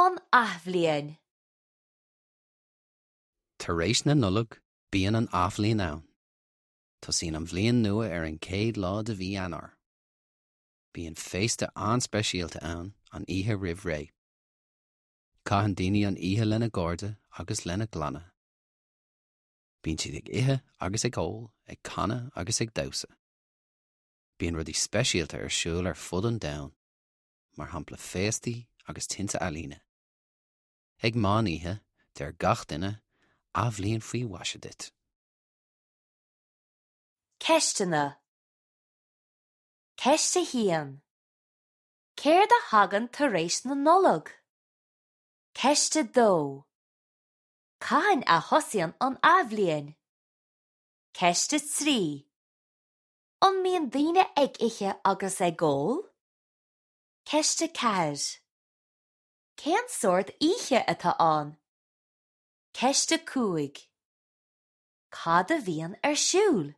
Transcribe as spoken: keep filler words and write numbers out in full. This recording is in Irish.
An Athbhliain. Tar éis na Nollag, bíonn an athbhliain ann. Tosaíonn an bhliain nua ar an chéad lá de mhí Eanáir. Bíonn féasta an-speisialta ann an oíche roimh ré. Caitheann daoine an oíche lena gcairde agus lena gclanna. Bíonn siad ag ithe agus ag ól, ag canadh agus ag damhsa. Bíonn rudaí speisialta ar siúl ar fud an domhain, mar shampla féastaí agus tinte ealaíne. Ag meán oíche, deir gach duine, athbhliain faoi mhaise duit. Ceisteanna. Ceist a haon. Céard a thagann tar éis na Nollag? Ceist a dó. Cathain a thosaíonn an athbhliain? Ceist a trí. An mbíonn daoine ag ithe agus ag ól? Ceist a ceathair. Cén sórt oíche atá ann? Ceist a cúig. Cad a bhíonn ar siúl?